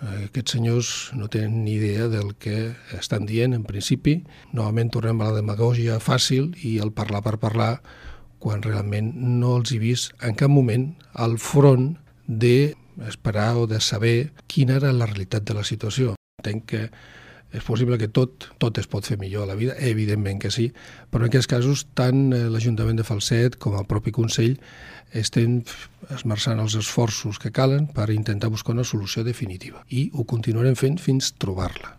Aquests senyors no tenen ni idea del que estan dient, en principi. Novament tornem a la demagògia fàcil i el parlar per parlar, quan realment no els he vist en cap moment al front d'esperar o de saber quina era la realitat de la situació. Entenc que és possible que tot es pot fer millor a la vida, evidentment que sí, però en aquests casos tant l'Ajuntament de Falset com el propi Consell estem esmerçant els esforços que calen per intentar buscar una solució definitiva i ho continuarem fent fins trobar-la.